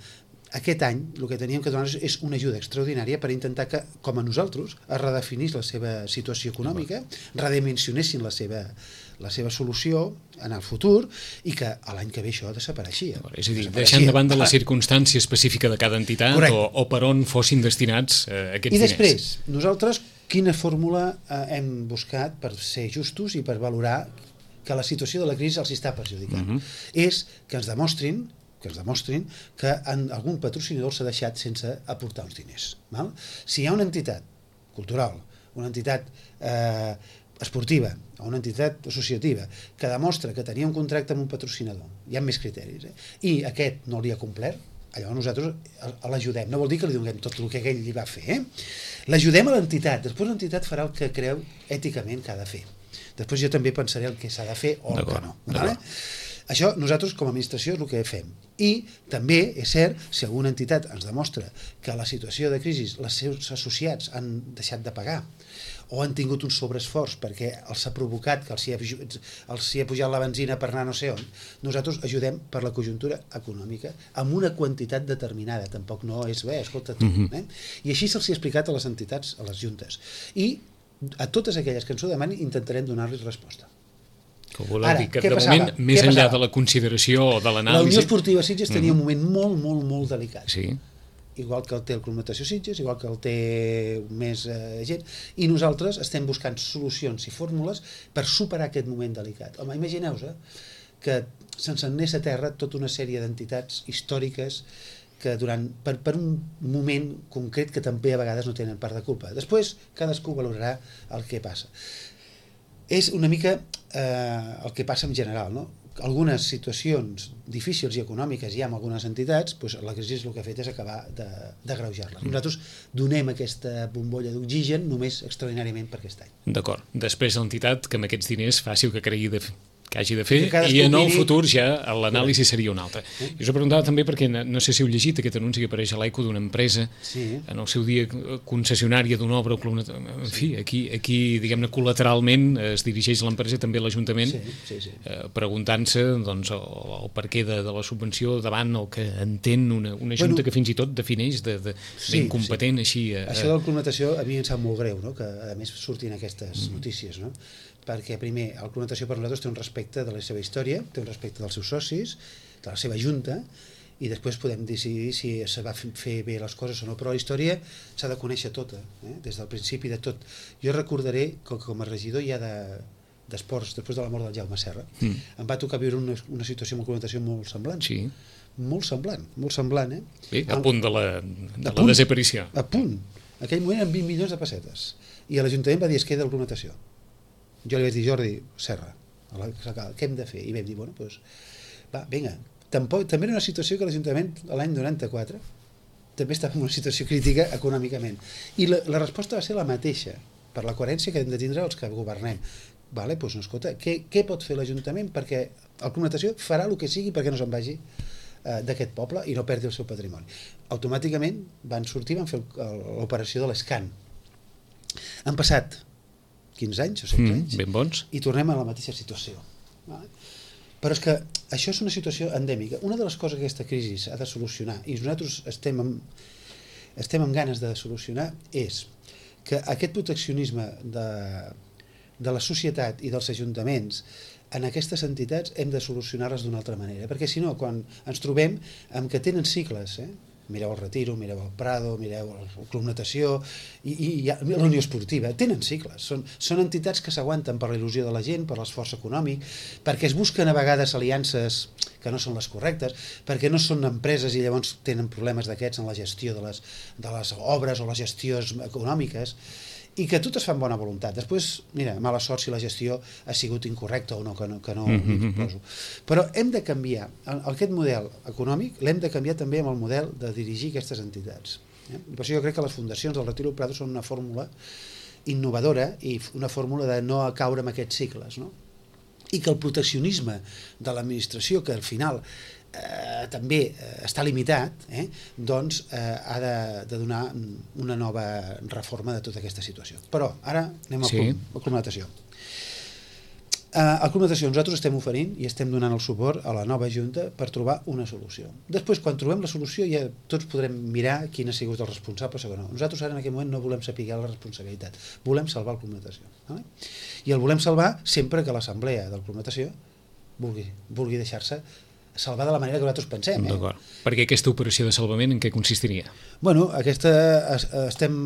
aquest any el que teníem que donar és una ajuda extraordinària per intentar que, com a nosaltres, es redefinís la seva situació econòmica, redimensionessin la seva solució en el futur i que l'any que ve això desapareixia. És a dir, deixant de banda la circumstància específica de cada entitat o per on fossin destinats aquests diners. I després, nosaltres quina fórmula hem buscat per ser justos i per valorar que la situació de la crisi els està perjudicant? És que ens demostrin que algun patrocinador s'ha deixat sense aportar uns diners. Si hi ha una entitat cultural, una entitat esportiva o una entitat associativa que demostra que tenia un contracte amb un patrocinador, hi ha més criteris, i aquest no li ha complert, llavors nosaltres l'ajudem. No vol dir que li donem tot el que ell li va fer. L'ajudem a l'entitat, després l'entitat farà el que creu èticament que ha de fer. Després jo també pensaré el que s'ha de fer o el que no. Això nosaltres com a administració és el que fem. I també és cert, si alguna entitat ens demostra que a la situació de crisi els seus associats han deixat de pagar o han tingut un sobreesforç perquè els ha provocat que els hi ha pujat la benzina per anar no sé on, nosaltres ajudem per la conjuntura econòmica amb una quantitat determinada, tampoc no és bé, escolta tu. I així se'ls ha explicat a les entitats, a les juntes. I a totes aquelles que ens ho demanin intentarem donar-los resposta. Ara, què passava? Més enllà de la consideració o de l'anàlisi... La Unió Esportiva Sitges tenia un moment molt, molt, molt delicat. Sí. Igual que el té el Club Natació Sitges, igual que el té més gent, i nosaltres estem buscant solucions i fórmules per superar aquest moment delicat. Home, imagineu-vos que se'ns anés a terra tota una sèrie d'entitats històriques que per un moment concret que també a vegades no tenen part de culpa. Després cadascú valorarà el que passa. És una mica el que passa en general, no? Algunes situacions difícils i econòmiques hi ha amb algunes entitats, doncs la crisi el que ha fet és acabar d'agreujar-les. Nosaltres donem aquesta bombolla d'oxigen només extraordinàriament per aquest any. D'acord. Després l'entitat que amb aquests diners faci el que cregui que hagi de fer i en el futur ja l'anàlisi seria una altra. I us ho preguntava també perquè no sé si heu llegit aquest anunci que apareix a l'ECO d'una empresa en el seu dia concessionària d'una obra o club, en fi, aquí diguem-ne col·lateralment es dirigeix l'empresa també l'Ajuntament preguntant-se doncs el perquè de la subvenció davant el que entén una junta que fins i tot defineix d'incompetent així. Això del Club Natació a mi em sap molt greu, no? Que a més surtin aquestes notícies, no? Perquè primer el Club Natació per nosaltres té un respecte de la seva història, té un respecte dels seus socis, de la seva junta, i després podem decidir si se va fer bé les coses o no, però la història s'ha de conèixer tota, des del principi de tot. Jo recordaré que com a regidor ja d'esports, després de la mort del Jaume Serra, em va tocar viure una situació amb el Club Natació molt semblant. Sí. Molt semblant, Bé, a punt de la desaparició. A punt. En aquell moment eren 20 milions de pessetes. I l'Ajuntament va dir es queda el Club Natació. Jo li vaig dir, Jordi Serra, què hem de fer? I vam dir, bueno, doncs, va, vinga. També era una situació que l'Ajuntament l'any 94 també estava en una situació crítica econòmicament. I la resposta va ser la mateixa, per la coherència que hem de tindre els que governem. Vale? Doncs, no, escolta, què pot fer l'Ajuntament? Perquè el Club Natació farà el que sigui perquè no se'n vagi d'aquest poble i no perdi el seu patrimoni. Automàticament van sortir, van fer l'operació de l'Escan. Han passat 15 anys o 16 anys ben bons. i tornem a la mateixa situació. Vale? Però és que això és una situació endèmica. Una de les coses que aquesta crisi ha de solucionar, i nosaltres estem amb ganes de solucionar, és que aquest proteccionisme de la societat i dels ajuntaments en aquestes entitats hem de solucionar-les d'una altra manera, perquè si no, quan ens trobem amb que tenen cicles, mireu el Retiro, mireu el Prado, mireu el Club Natació i la Unió Esportiva, tenen cicles, són entitats que s'aguanten per la il·lusió de la gent, per l'esforç econòmic, perquè es busquen a vegades aliances que no són les correctes, perquè no són empreses i llavors tenen problemes d'aquests en la gestió de les obres o les gestions econòmiques, i que totes fan bona voluntat. Després, mira, mala sort si la gestió ha sigut incorrecta o no, que no m'hi poso. Però hem de canviar, aquest model econòmic l'hem de canviar també amb el model de dirigir aquestes entitats. I per això jo crec que les fundacions del Retiro del Prado són una fórmula innovadora i una fórmula de no caure en aquests cicles, no? I que el proteccionisme de l'administració, que al final també està limitat, doncs ha de donar una nova reforma de tota aquesta situació. Però ara anem al Club Natació. Al Club Natació nosaltres estem oferint i estem donant el suport a la nova Junta per trobar una solució. Després, quan trobem la solució, ja tots podrem mirar quin ha sigut el responsable o no. Nosaltres ara en aquest moment no volem saber la responsabilitat, volem salvar el Club Natació. I el volem salvar sempre que l'assemblea del Club Natació vulgui deixar-se salvar de la manera que nosaltres pensem. D'acord. Perquè aquesta operació de salvament en què consistiria? Bueno, estem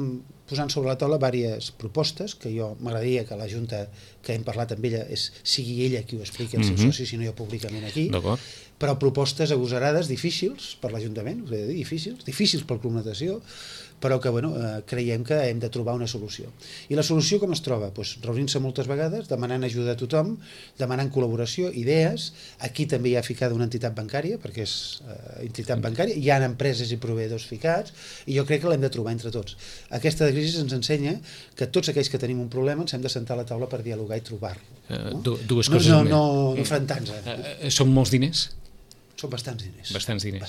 posant sobre la taula diverses propostes que jo m'agradaria que la Junta que hem parlat amb ella sigui ella qui ho expliqui als seus socis, si no jo públicament aquí, però propostes agosarades, difícils per l'Ajuntament, us he de dir, difícils pel Club Natació, però que creiem que hem de trobar una solució. I la solució com es troba? Reunint-se moltes vegades, demanant ajuda a tothom, demanant col·laboració, idees. Aquí també hi ha ficada una entitat bancària, perquè és entitat bancària, hi ha empreses i proveïdors ficats, i jo crec que l'hem de trobar entre tots. Aquesta crisi ens ensenya que tots aquells que tenim un problema ens hem de sentar a la taula per dialogar i trobar-lo. Dues coses. No enfrontar-nos. Són molts diners? Són bastants diners. Bastants diners.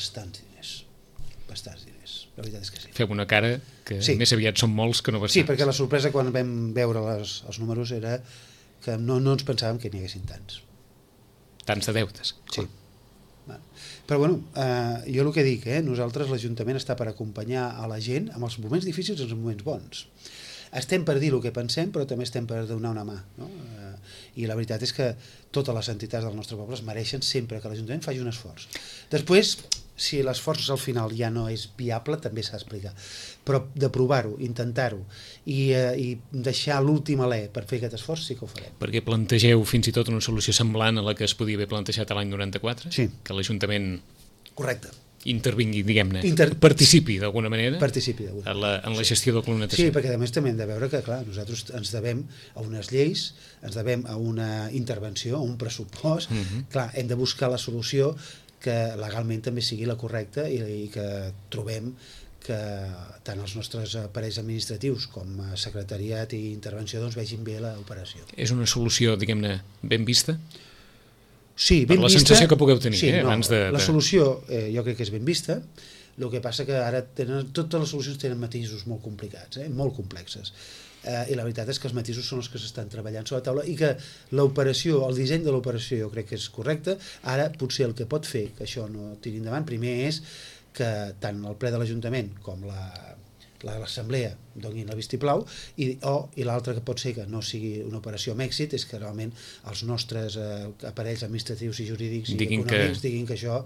Bastants diners. La veritat és que sí. Fem una cara que més aviat són molts que no bastants. Sí, perquè la sorpresa quan vam veure els números era que no ens pensàvem que n'hi haguessin tants. Tants de deutes. Sí. Però jo el que dic, nosaltres l'Ajuntament està per acompanyar a la gent en els moments difícils i en els moments bons. Estem per dir el que pensem, però també estem per donar una mà, no? I la veritat és que totes les entitats del nostre poble es mereixen sempre que l'Ajuntament faci un esforç. Després, si l'esforç al final ja no és viable, també s'ha d'explicar. Però de provar-ho, intentar-ho i deixar l'últim alè per fer aquest esforç sí que ho farem. Perquè plantegeu fins i tot una solució semblant a la que es podia haver plantejat l'any 94? Sí. Que l'Ajuntament... Correcte. Intervingui, diguem-ne, participi d'alguna manera en la gestió del Club Natació. Sí, perquè a més també hem de veure que, clar, nosaltres ens devem a unes lleis, ens devem a una intervenció, a un pressupost, clar, hem de buscar la solució que legalment també sigui la correcta i que trobem que tant els nostres aparells administratius com a secretariat i intervenció doncs vegin bé l'operació. És una solució, diguem-ne, ben vista? Sí, ben per la vista, sensació que pugueu tenir, sí, abans de... La solució jo crec que és ben vista, el que passa que ara totes les solucions tenen matisos molt complicats, molt complexes, i la veritat és que els matisos són els que s'estan treballant sobre la taula i que l'operació, el disseny de l'operació jo crec que és correcte. Ara potser el que pot fer que això no tiri endavant primer és que tant el ple de l'Ajuntament com l'Assemblea donin el vistiplau i l'altre que pot ser que no sigui una operació amb èxit és que realment els nostres aparells administratius i jurídics i econòmics diguin que això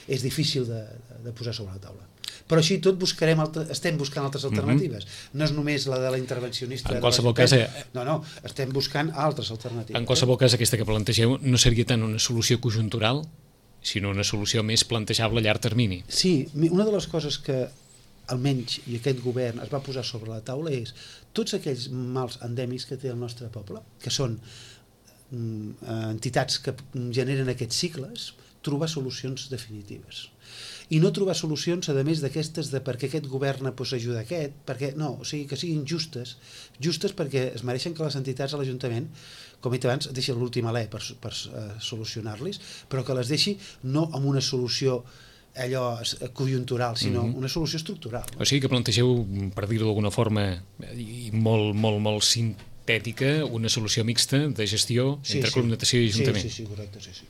és difícil de posar sobre la taula. Però així tot estem buscant altres alternatives. No és només la de la intervencionista. En qualsevol cas... No, estem buscant altres alternatives. En qualsevol cas, aquesta que plantegeu no seria tant una solució conjuntural, sinó una solució més plantejable a llarg termini. Sí, una de les coses que almenys i aquest govern es va posar sobre la taula és tots aquells mals endèmics que té el nostre poble, que són entitats que generen aquests cicles, trobar solucions definitives. i no trobar solucions, a més d'aquestes de per què aquest governa ajuda aquest, perquè no, o sigui, que siguin justes perquè es mereixen que les entitats a l'Ajuntament, com he dit abans, deixin l'últim alè per solucionar-los, però que les deixi no amb una solució allò conjuntural, sinó una solució estructural. O sigui que plantegeu, per dir-ho d'alguna forma, i molt sintètica, una solució mixta de gestió entre Club Natació i Ajuntament. Sí, correcte, sí.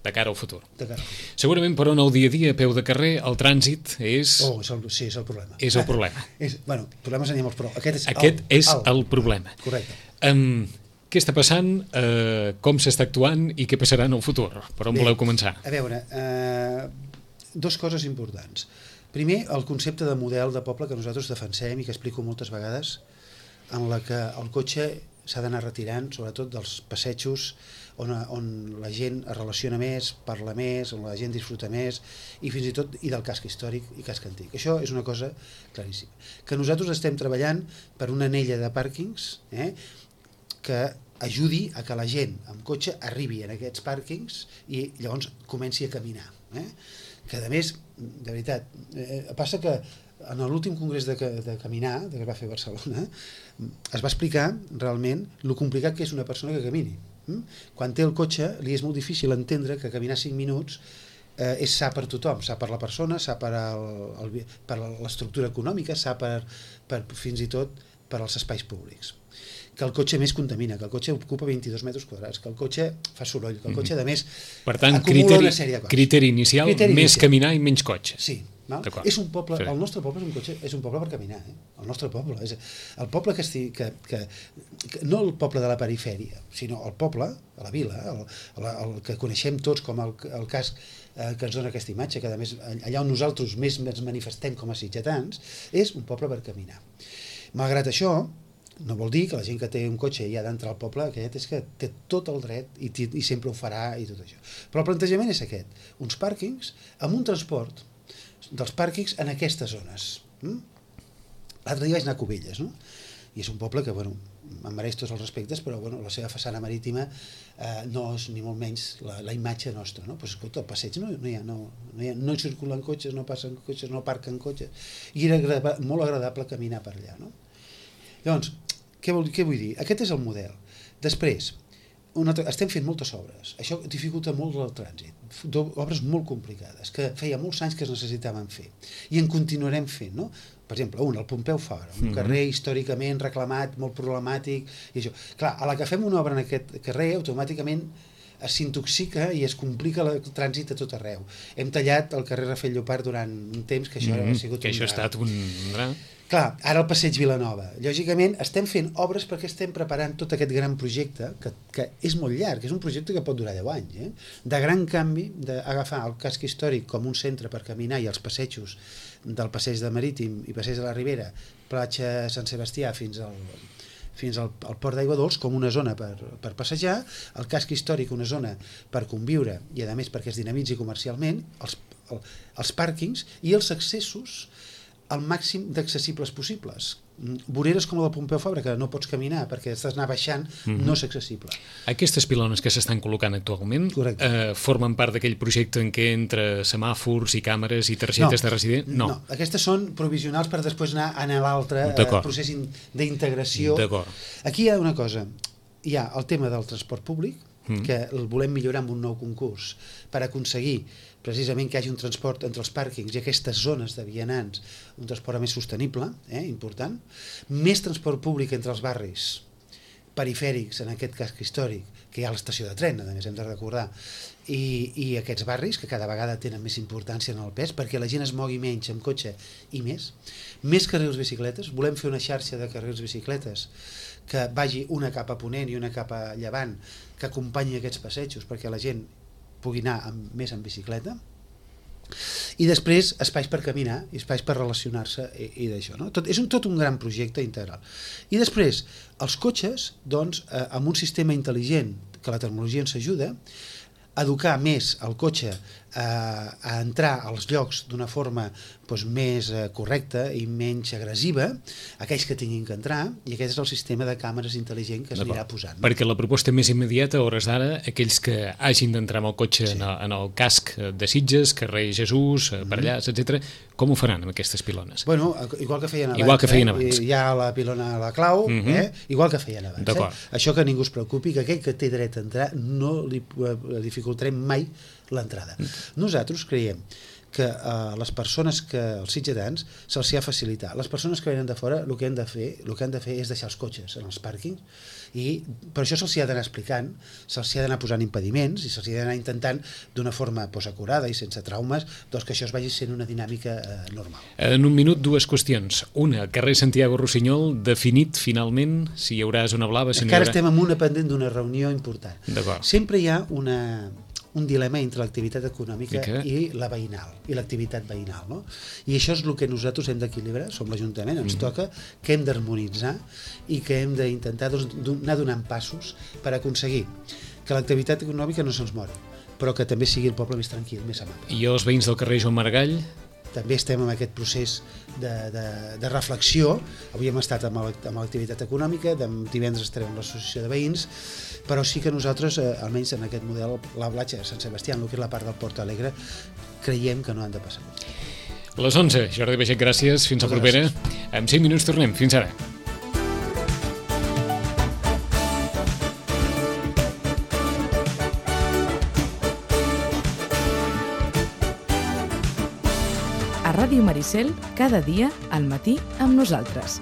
De cara al futur. De cara al futur. Segurament, però, en el dia a dia, a peu de carrer, el trànsit és... Sí, és el problema. És el problema. Bueno, problemes n'hi ha molts, però aquest és el problema. Correcte. Què està passant, com s'està actuant i què passarà en el futur? Per on voleu començar? A veure, dues coses importants. Primer, el concepte de model de poble que nosaltres defensem i que explico moltes vegades, en la que el cotxe s'ha d'anar retirant, sobretot dels passejos on la gent es relaciona més, parla més, on la gent disfruta més, i fins i tot del casc històric i casc antic. Això és una cosa claríssima. Que nosaltres estem treballant per una anella de pàrquings que ajudi a que la gent amb cotxe arribi en aquests pàrquings i llavors comenci a caminar. Que a més, de veritat, passa que en l'últim congrés de caminar, que es va fer a Barcelona, es va explicar realment lo complicat que és una persona que camini. Quan té el cotxe li és molt difícil entendre que caminar 5 minuts és sa per tothom, sa per la persona, sa per l'estructura econòmica, sa fins i tot per als espais públics. Que el cotxe més contamina, que el cotxe ocupa 22 metres quadrats, que el cotxe fa soroll, que el cotxe, a més, per tant, acumula una sèrie de coses. Criteri inicial, més caminar i menys cotxe. Sí. És un poble, el nostre poble és un poble per caminar, el nostre poble és el poble que no el poble de la perifèria, sinó el poble, a la vila, el que coneixem tots com el casc que ens dona aquesta imatge, que a més allà on nosaltres més ens manifestem com a sitgetans, és un poble per caminar. Malgrat això, no vol dir que la gent que té un cotxe i ha d'entrar al poble aquest és que té tot el dret i sempre ho farà i tot això. Però el plantejament és aquest, uns pàrquings amb un transport dels pàrquings en aquestes zones. L'altre dia vaig anar a Cubelles, no? I és un poble que, bueno, em mereix tots els respectes, però bueno, la seva façana marítima no és ni molt menys la imatge nostra, no? Però escolta, el passeig no circulen cotxes, no passen cotxes, no aparquen cotxes, i era molt agradable caminar per allà, no? Llavors, què vull dir? Aquest és el model. Després, estem fent moltes obres, això dificulta molt el trànsit, obres molt complicades, que feia molts anys que es necessitaven fer, i en continuarem fent, no? Per exemple, el Pompeu Fabra, un carrer històricament reclamat, molt problemàtic, i això. Clar, a la que fem una obra en aquest carrer, automàticament s'intoxica i es complica el trànsit a tot arreu. Hem tallat el carrer Rafel Llopart durant un temps que això ha sigut que això ha estat un... Clar, ara el passeig Vilanova. Lògicament, estem fent obres perquè estem preparant tot aquest gran projecte, que és molt llarg, és un projecte que pot durar 10 anys, de gran canvi, d'agafar el casc històric com un centre per caminar i els passejos del passeig de Marítim i passeig de la Ribera, platja Sant Sebastià fins al Port d'Aigua Dols com una zona per passejar, el casc històric una zona per conviure i a més perquè es dinamitzi comercialment, els pàrquings i els accessos al màxim d'accessibles possibles. Voreres com la del Pompeu Fabra, que no pots caminar perquè estàs anar baixant, no és accessible. Aquestes pilones que s'estan col·locant actualment formen part d'aquell projecte en què entre semàfors i càmeres i targetes de resident? No, aquestes són provisionals per després anar a l'altre procés d'integració. Aquí hi ha una cosa, hi ha el tema del transport públic, que el volem millorar amb un nou concurs per aconseguir precisament que hi hagi un transport entre els pàrquings i aquestes zones de vianants, un transport més sostenible, important, més transport públic entre els barris perifèrics, en aquest casc històric, que hi ha l'estació de tren, a més hem de recordar, i aquests barris que cada vegada tenen més importància en el pes perquè la gent es mogui menys amb cotxe i més carrils bicicletes, volem fer una xarxa de carrils bicicletes que vagi una cap a ponent i una cap a llevant, que acompanyi aquests passejos perquè la gent pugui anar més en bicicleta, i després espais per caminar i espais per relacionar-se i d'això, no? És tot un gran projecte integral. I després, els cotxes, doncs, amb un sistema intel·ligent que la tecnologia ens ajuda, educar més el cotxe a entrar als llocs d'una forma més correcta i menys agressiva, aquells que tinguin que entrar, i aquest és el sistema de càmeres intel·ligent que s'anirà posant. Perquè la proposta més immediata, a hores d'ara, aquells que hagin d'entrar amb el cotxe en el casc de Sitges, carrer Jesús, Parellars, etc., com ho faran amb aquestes pilones? Bueno, igual que feien abans. Hi ha la pilona a la clau, igual que feien abans. Això que ningú es preocupi, que aquell que té dret a entrar no li dificultarem mai l'entrada. Nosaltres creiem que les persones els sitgetans se'ls ha facilitat. Les persones que venen de fora el que han de fer és deixar els cotxes en els pàrquings, i per això se'ls ha d'anar explicant, se'ls ha d'anar posant impediments i se'ls ha d'anar intentant d'una forma acurada i sense traumes que això es vagi sent una dinàmica normal. En un minut, dues qüestions. Una, carrer Santiago Rossinyol, definit finalment si hi haurà zona blava? Encara estem en una pendent d'una reunió important. D'acord. Sempre hi ha un dilema entre l'activitat econòmica i la veïnal, i l'activitat veïnal, no? I això és el que nosaltres hem d'equilibrar, som l'Ajuntament, ens toca, que hem d'harmonitzar i que hem d'intentar anar donant passos per aconseguir que l'activitat econòmica no se'ns mori, però que també sigui el poble més tranquil, més amable. I els veïns del carrer Joan Maragall? També estem en aquest procés de reflexió. Avui hem estat amb l'activitat econòmica, divendres estarem amb l'associació de veïns, però sí que nosaltres, almenys en aquest model, la platja de Sant Sebastià, el que és la part del Port Alegre, creiem que no han de passar. Les 11. Jordi Baget, gràcies. Fins la propera. En 5 minuts tornem. Fins ara. A Ràdio Maricel, cada dia al matí amb nosaltres.